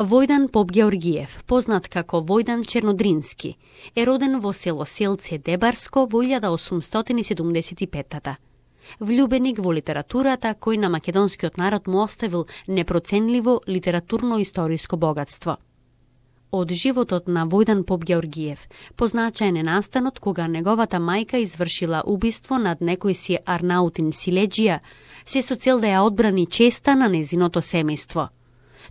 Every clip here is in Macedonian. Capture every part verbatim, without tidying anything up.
Војдан Попгеоргиев, познат како Војдан Чернодрински, е роден во село Селце Дебарско во илјада осумстотини и седумдесет и петта. Влюбеник во литературата кој на македонскиот народ му оставил непроценливо литературно-историско богатство. Од животот на Војдан Попгеоргиев позначаен е настанот кога неговата мајка извршила убиство над некој си Арнаутин Силеџија, се со цел да ја одбрани честа на незиното семејство.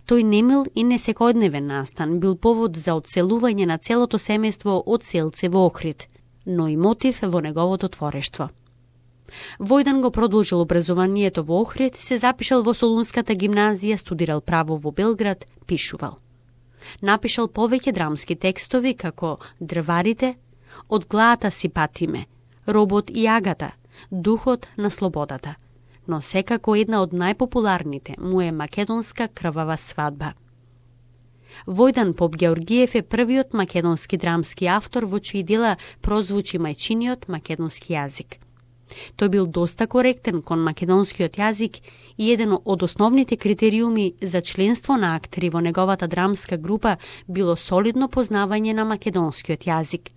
Тој немил и несекојдневен настан бил повод за одселување на целото семејство од Селце во Охрид, но и мотив во неговото творештво. Војдан го продолжил образованието во Охрид, се запишал во Солунската гимназија, студирал право во Белград, пишувал. Напишал повеќе драмски текстови како Дрварите, Од глаата си патиме, Робот и агата, Духот на слободата, но секако една од најпопуларните му е Македонска крвава свадба. Војдан Попгеоргиев е првиот македонски драмски автор во чии дела прозвучи мајчиниот македонски јазик. Тој бил доста коректен кон македонскиот јазик и еден од основните критериуми за членство на актери во неговата драмска група било солидно познавање на македонскиот јазик.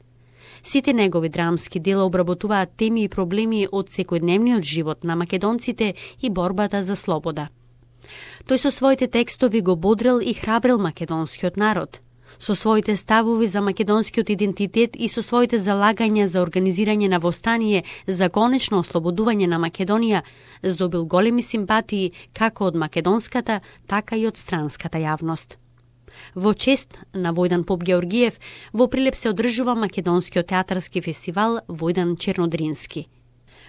Сите негови драмски дела обработуваат теми и проблеми од секојдневниот живот на македонците и борбата за слобода. Тој со своите текстови го бодрел и храбрел македонскиот народ. Со своите ставови за македонскиот идентитет и со своите залагања за организирање на востание за конечно ослободување на Македонија, здобил големи симпатии како од македонската, така и од странската јавност. Во чест на Војдан Попгеоргиев во Прилеп се одржува македонскиот театарски фестивал Војдан Чернодрински.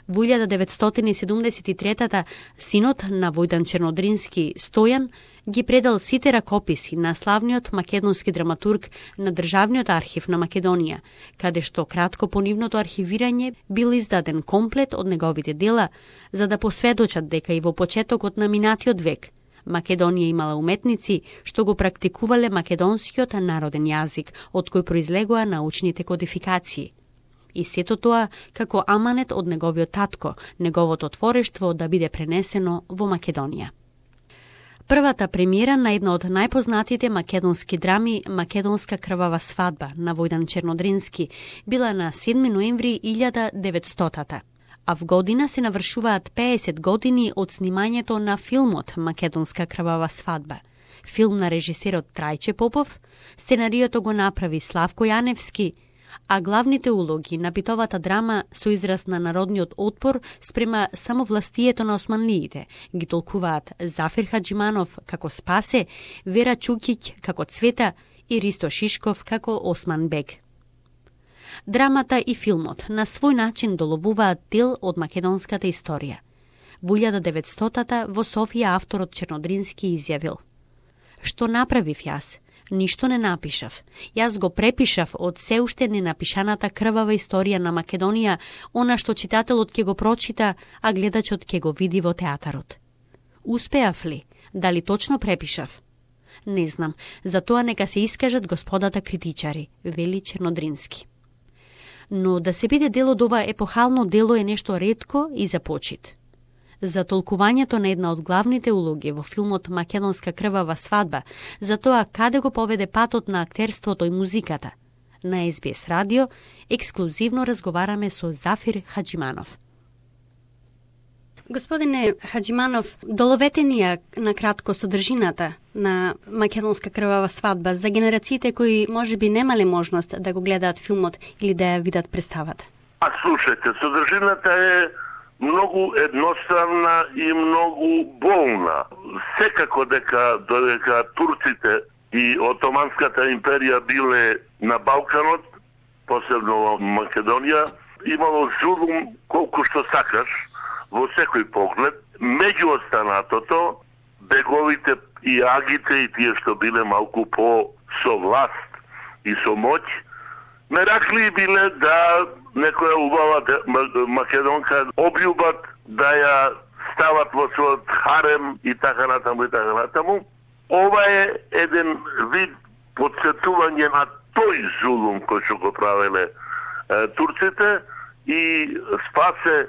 Во илјада деветстотини и седумдесет и трета синот на Војдан Чернодрински, Стојан, ги предал сите ракописи на славниот македонски драматург на Државниот архив на Македонија, каде што кратко по нивното архивирање бил издаден комплет од неговите дела, за да посведочат дека и во почетокот на минатиот век Македонија имала уметници што го практикувале македонскиот народен јазик, од кој произлегоа научните кодификации. И сето тоа како аманет од неговиот татко, неговото творештво да биде пренесено во Македонија. Првата премиера на една од најпознатите македонски драми Македонска крвава свадба на Војдан Чернодрински била на седми ноември илјада деветстотата. А в година се навршуваат пеесет години од снимањето на филмот Македонска крвава свадба. Филм на режисерот Трајче Попов, сценариото го направи Славко Јаневски, а главните улоги на битовата драма со израз на народниот отпор спрема самовластието на османлиите ги толкуваат Зафир Хаџиманов како Спасе, Вера Чукиќ како Цвета и Ристо Шишков како Осман Бег. Драмата и филмот на свој начин доловуваат дел од македонската историја. Во илјада деветстотата во Софија авторот Чернодрински изјавил: "Што направив јас? Ништо не напишав. Јас го препишав од се уште ненапишаната крвава историја на Македонија, она што читателот ќе го прочита, а гледачот ќе го види во театарот. Успеав ли? Дали точно препишав? Не знам, за тоа нека се искажат господата критичари", вели Чернодрински. Но да се биде дел од ова епохално дело е нешто ретко и за почит. За толкувањето на една од главните улоги во филмот Македонска крвава свадба, за тоа каде го поведе патот на актерството и музиката, на Ес Би Ес радио ексклузивно разговараме со Зафир Хаџиманов. Господине Хаџиманов, доловете ни ја на кратко содржината на Македонска крвава свадба за генерациите кои можеби немале можност да го гледаат филмот или да ја видат представата. А слушајте, содржината е многу едноставна и многу болна. Секако дека додека турците и Отоманската империја биле на Балканот, посебно во Македонија, имало зулум колку што сакаш во секој поглед. Меѓу останатото, беговите и агите и тие што биле малку по со власт и со моќ, меракли биле да некоја убава македонка обљубат, да ја стават во својот харем и така натаму и така натаму. Ова е еден вид подсетување на тој зулум кој што го правеле е, турците, и Спасе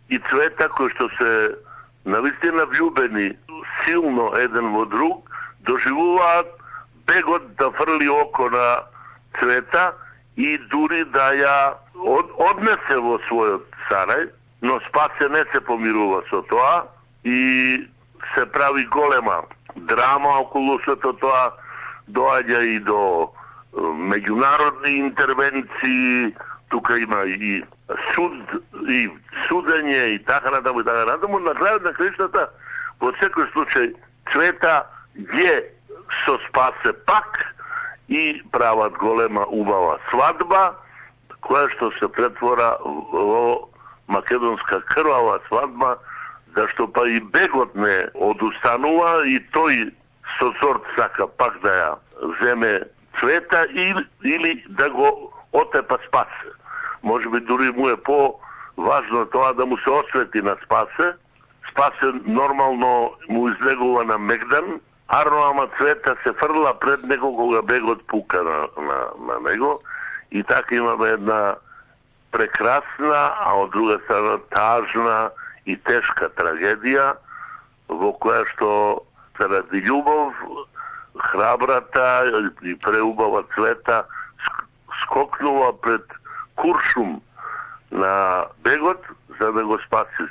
и Цвета кои што се навистина влюбени силно еден во друг, доживуваат бегот да фрли око на Цвета и дури да ја од, однесе во својот сарај, но Спасе не се помирува со тоа и се прави голема драма околу сето тоа, доаѓа и до меѓународни интервенции, тука има и суд, и судење и така натаму и така натаму. На крајот на краиштата, во секој случај, Цвета е со Спасе пак и прават голема убава свадба, која што се претвора во македонска крвава свадба, зашто па и бегот не одустанува и тој со сорт сака пак да ја земе Цвета или, или да го отепа Спасе. Може би дури му е по-важно тоа да му се освети на Спасе. Спасе нормално му излегува на Мегдан, Арно ама Цвета се фрла пред него кога бегот пука на, на, на него и така имаме една прекрасна, а од друга страна тажна и тешка трагедија во која што заради љубов храбрата и преубава Цвета скокнува пред куршум на бегот за да го спаси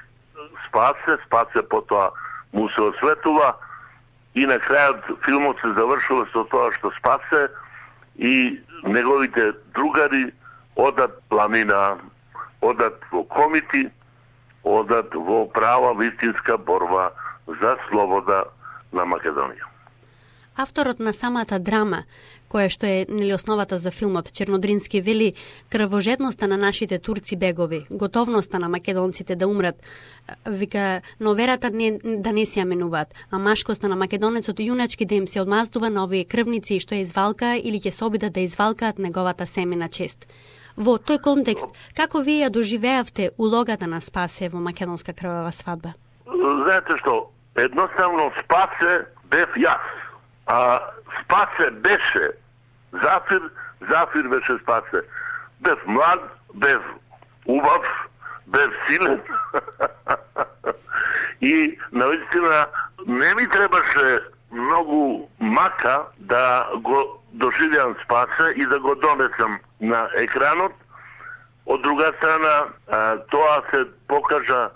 Спасе, Спасе потоа му се осветува и на крајот филмот се завршува со тоа што Спасе и неговите другари одат планина, одат во комити, одат во права вистинска борба за слобода на Македонија. Авторот на самата драма, која што е нели основата за филмот, Чернодрински, вели крвожедноста на нашите турци бегови, готовноста на македонците да умрат, вика, но верата не, да не се ја менуваат, а машкоста на македонецот јуначки да им се одмаздува на овие крвници што ја извалка или ќе се обидат да извалкаат неговата семена чест. Во тој контекст, како вие ја доживеавте улогата на Спасе во македонска крвава свадба? Знаете што, едноставно Спасе бев јас. А Спасе беше Зафир, Зафир беше Спасе. Бев млад, бев убав, бев силен. И наистина не ми требаше многу мака да го доживеам Спасе и да го донесам на екранот. Од друга страна, тоа се покажа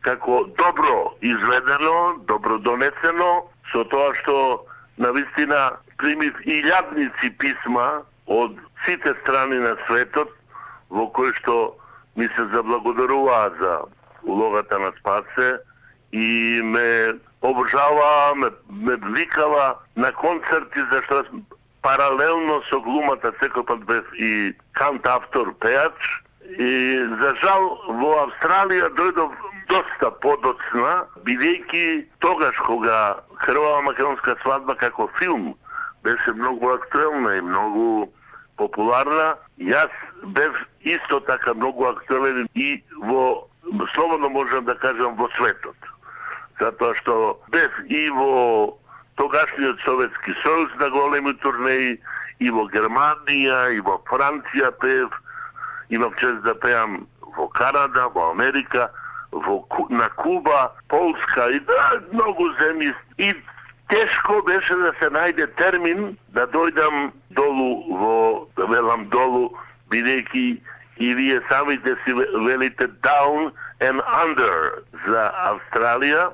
како добро изведено, добро донесено, со тоа што навистина примив илјадници писма од сите страни на светот во кои што ми се заблагодаруваа за улогата на Спасе и ме обожава, ме, ме викава на концерти, зашто паралелно со глумата секој пат бев и кантавтор, пејач. И за жал во Австралија дојдов доста подоцна, бидејќи тогаш кога Крвава македонска свадба како филм беше многу актуелна и многу популарна, јас бев исто така многу актуелен и во, слободно можам да кажам, во светот. Затоа што бев и во тогашниот Советски сојуз на големи турнеи, и во Германија, и во Франција пеев, имав чест да пеам во Канада, во Америка, во, на Куба, Полска и да, многу земји. И тешко беше да се најде термин да дојдам долу во, да велам долу, бидејќи и вие самите си велите down and under за Австралија.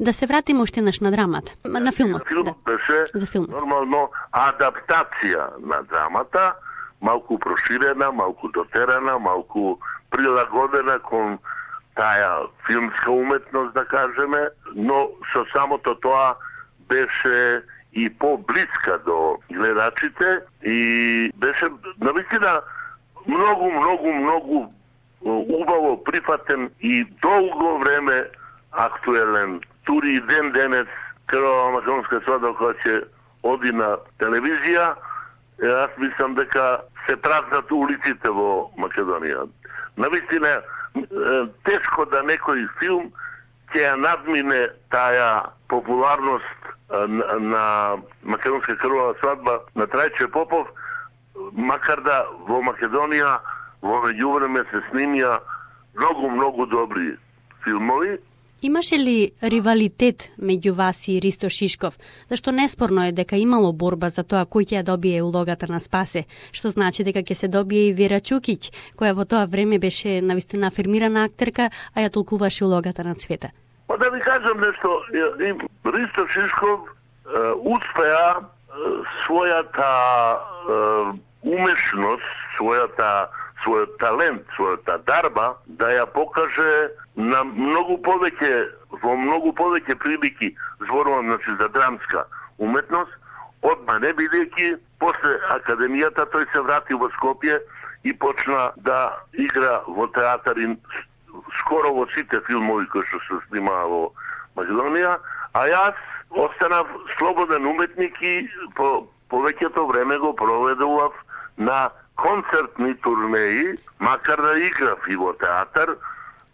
Да се вратиме уште наш на драмата, на филмот. Филмот да. беше за филмот. Нормално адаптација на драмата, малку проширена, малку дотерана, малку прилагодена кон таа филмска уметност, да кажеме, но со самото тоа беше и поблиска до гледачите и беше навистина многу, многу, многу убаво прифатен и долго време актуелен. Тури и ден денес Крвава македонска свадба која ќе оди на телевизија, јас мислам дека се празнат улиците во Македонија. Навистина тешко да некој филм ќе ја надмине таа популарност на, на македонска крвава свадба на Трајче Попов, макар да во Македонија во меѓувреме се снимија многу, многу добри филмови, Имаше ли ривалитет меѓу вас и Ристо Шишков? Зашто неспорно е дека имало борба за тоа кој ќе ја добие улогата на Спасе, што значи дека ќе се добие и Вера Чукиќ, која во тоа време беше навистина афирмирана актерка, а ја толкуваше улогата на Цвета. Па да ви кажам нешто, Ристо Шишков е, успеа е, својата е, умешност, својата својот талент, својата дарба да ја покаже на многу повеќе, во многу повеќе прилики, зборувам значи за драмска уметност, од мене, бидејќи после академијата тој се врати во Скопје и почна да игра во театар и скоро во сите филмови кои што се снимаа во Македонија, а јас останав слободен уметник и по повеќето време го проведував на концертни турнеи, макар да играв и во театар.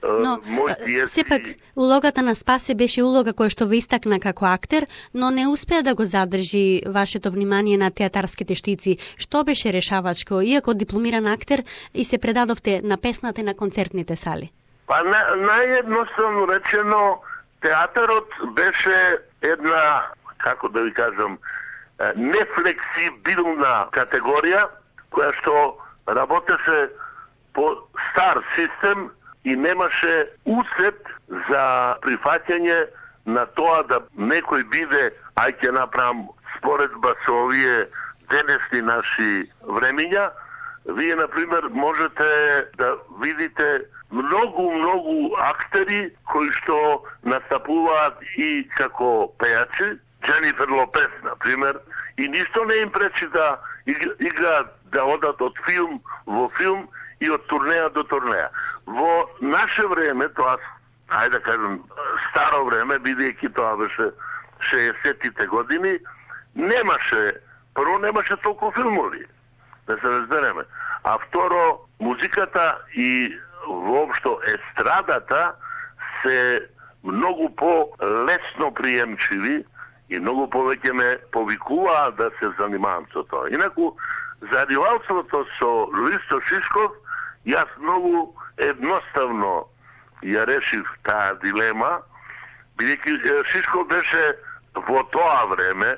Но, пиеси... сепак, улогата на Спасе беше улога која што ве истакна како актер, но не успеа да го задржи вашето внимание на театарските штици. Што беше решавачко, иако дипломиран актер и се предадовте на песната и на концертните сали? Па на, наједноставно речено, театарот беше една, како да ви кажам, нефлексибилна категорија, која што работеше по стар систем и немаше усет за прифаќање на тоа да некој биде, ај ќе направам споредба со овие денесни наши времиња. Вие, например, можете да видите многу, многу актери кои што настапуваат и како пејачи, Дженифер Лопес, например, и ништо не им пречи да играат, да одат од филм во филм и од турнеја до турнеја. Во наше време, тоа, ајде да кажем, старо време, бидејќи тоа беше шеесеттите години, немаше, прво немаше толку филмови, да се разбереме. А второ, музиката и воопшто естрадата се многу по-лесно приемчиви и многу повеќе ме повикуваа да се занимавам со тоа. Инаку, за ривалството со Ристо Шишков, јас многу едноставно ја решив таа дилема, бидејќи Шишков беше во тоа време,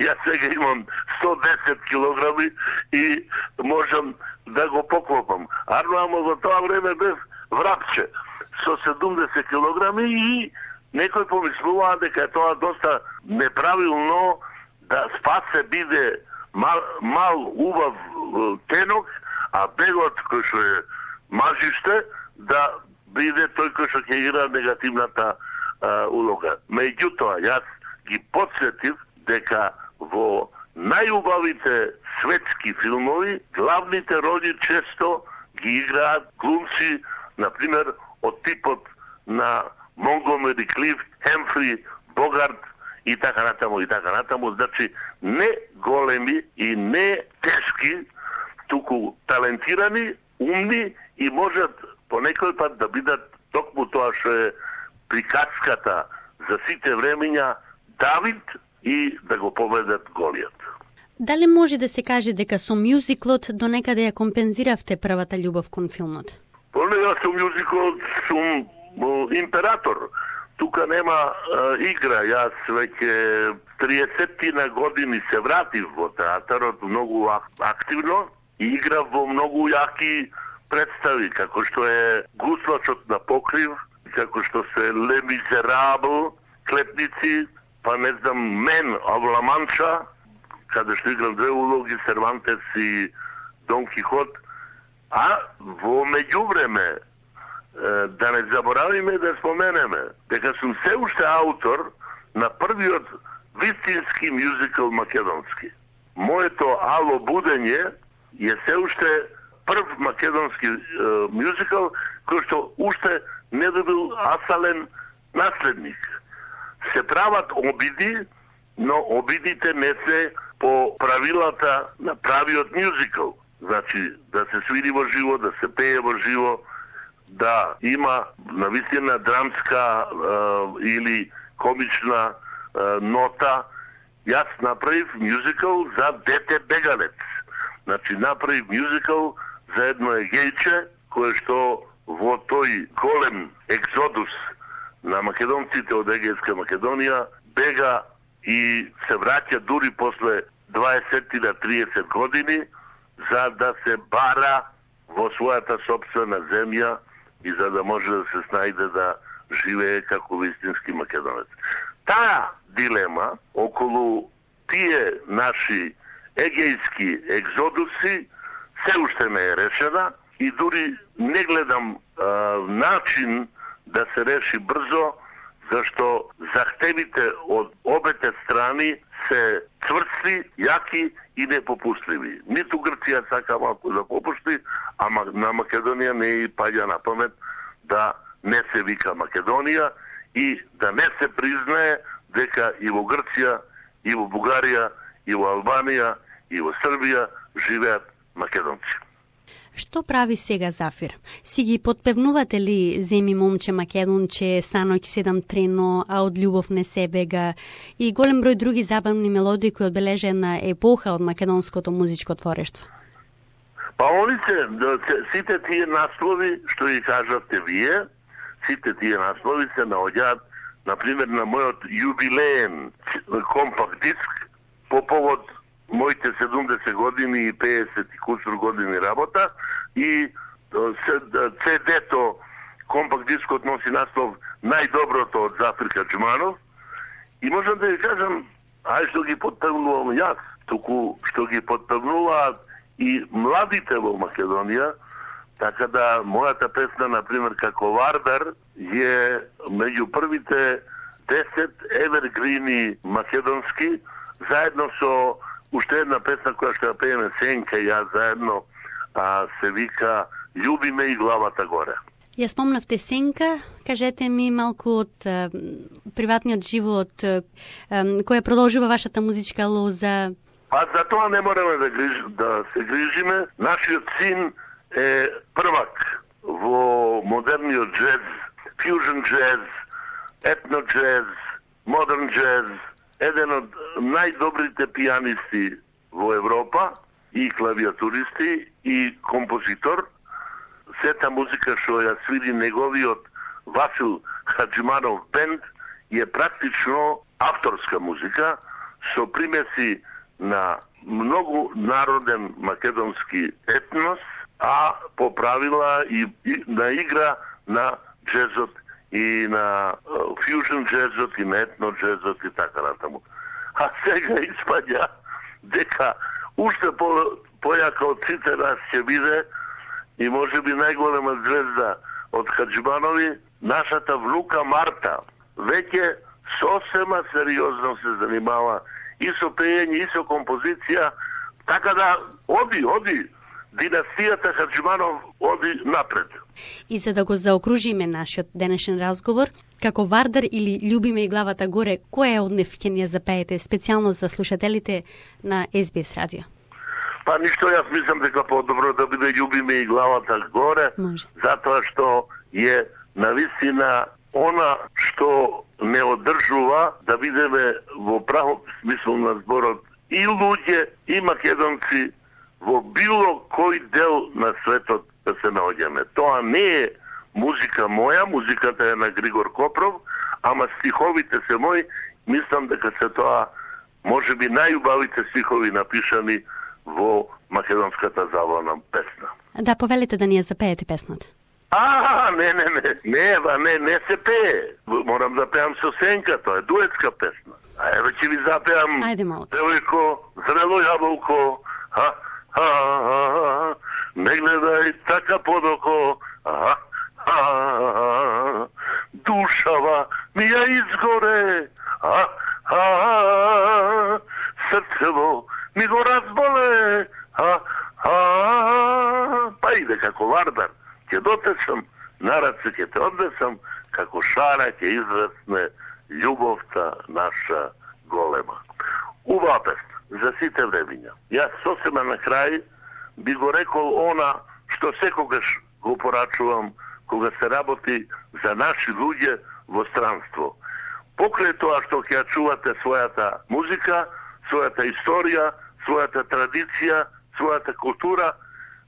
јас сега имам сто десет килограми и можам да го поклопам. Арно, во тоа време бев врапче со седумдесет килограми и некој помислува дека е тоа доста неправилно да Спасе биде мал, мал убав тенок, а бегот кој што е мажиште да биде тој кој што ќе игра негативната а, улога. Меѓутоа, јас ги подсетив дека во најубавите светски филмови главните роли често ги играат глумци, например, од типот на Монгомери Клифт, Хемфри, Богарт и така натаму и така натаму, значи не големи и не тешки, туку талентирани, умни и можат по некој пат да бидат токму тоа што е приказката за сите времења Давид и да го победат Голијат. Дали може да се каже дека со мюзиклот до некаде ја компензиравте првата љубов кон филмот? Поле, јас со мюзиклот сум император. Тука нема а, игра. Јас веќе триесеттина години се вратив во театарот многу активно и играв во многу јаки представи, како што е Гуслачот на покрив, како што се Ле Мизерабл, Клепници, па не знам, Мен of La Mancha, каде што играм две улоги, Сервантес и Дон Кихот. А во меѓувреме, да не заборавиме да споменеме дека сум се уште аутор на првиот вистински мюзикл македонски. Моето Ало будење е се уште прв македонски е, мюзикл кој што уште не добил асален наследник. Се прават обиди, но обидите не се по правилата на правиот мюзикл. Значи, да се свири во живо, да се пее во живо, да има навистина драмска е, или комична е, нота. Јас направив мюзикл за Дете бегалец. Значи, направив мюзикл за едно егејче, кое што во тој голем екзодус на македонците од Егејска Македонија бега и се враќа дури после дваесет до триесет години за да се бара во својата сопствена земја и за да може да се снајде да живее како вистински македонец. Таа дилема околу тие наши егејски екзодуси се уште не е решена и дури не гледам а, начин да се реши брзо, зашто захтевите од обете страни се цврсти, јаки и непопустливи. Ниту Грција сака малку да попушти, а на Македонија не и паѓа на памет да не се вика Македонија и да не се признае дека и во Грција, и во Бугарија, и во Албанија, и во Србија живеат македонци. Што прави сега Зафир? Си ги подпевнувате ли Земи момче македонче, Саноќ седам трено, а од љубов не се бега и голем број други забавни мелодии кои одбележа една епоха од македонското музичко творештво? Па они се, сите тие наслови што ги кажавте вие, сите тие наслови се наоѓаат, например, на мојот јубилеен компакт диск по повод моите седумдесет години и пеесет и кусур години работа и Си Ди-то компакт дискот носи наслов Најдоброто од Зафир Хаџиманов и можам да ви кажам, ај што ги подпевнувам јас, туку што ги подпевнуваат и младите во Македонија, така да мојата песна, например, како Вардар, е меѓу првите десет евергрини македонски, заедно со уште една песна која што ја пееме Сенка и јас заедно, а, се вика Љуби ме и главата горе. Ја спомнавте Сенка, кажете ми малку од е, приватниот живот, е, која продолжува вашата музичка лоза. Па за тоа не мораме да, гриж, да се грижиме. Нашиот син е првак во модерниот джез, фјужен джез, етно джез, модерн джез, еден од најдобрите пијанисти во Европа и клавиатуристи и композитор. Сета музика што ја свири неговиот Васил Хаџиманов бенд е практично авторска музика со примеси на многу народен македонски етнос, а по правила и, и на игра на джезот и на фјужен джезот и на етно джезот и така натаму. А сега испаѓа дека уште по, појака од сите нас ќе биде и може би најголема звезда од Хаџиманови, нашата внука Марта, веќе сосема сериозно се занимава и со пеење, и со композиција, така да оди, оди, династијата Хаџиманов оди напред. И за да го заокружиме нашиот денешен разговор, како Вардар или Љуби ме и главата горе, која од нив ќе ни ја запеете специјално за слушателите на Ес Би Ес радио? Па ништо, јас мислам дека по-добро да биде Љуби ме и главата горе, Може. затоа што е навистина она што не одржува да бидеме во правом смисол на зборот и луѓе, и македонци во било кој дел на светот да се наоѓаме. Тоа не е музика моја, музиката е на Григор Копров, ама стиховите се мои, мислам дека се тоа може би најубавите стихови напишани во македонската забавна песна. Да, повелите да ни ја запеете песната. А, не, не, не, не, ба, не, не се пее. Морам да пеам со Сенка, тоа е дуетска песна. А еве ќе ви запеам Девојко, зрело јаболко, ха, ха, ха, не гледај така подоко, ха, ха, душава ми ја изгоре, ха, ха, срцево ми го разболе, ха, ха, па иде како Вардар. Ќе дотечам, на раце ќе те однесам, како шара ќе израсне љубовта наша голема. Убава песна, за сите времиња. Јас сосема на крај би го рекол она што секогаш го порачувам кога се работи за наши луѓе во странство. Покрај тоа што ќе ја чувате својата музика, својата историја, својата традиција, својата култура,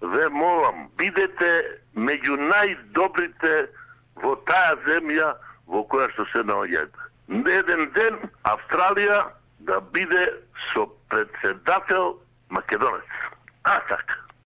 ве молам, бидете меѓу најдобрите во таа земја, во која што се наоѓаат. Еден ден Австралија да биде со председател македонец. А така.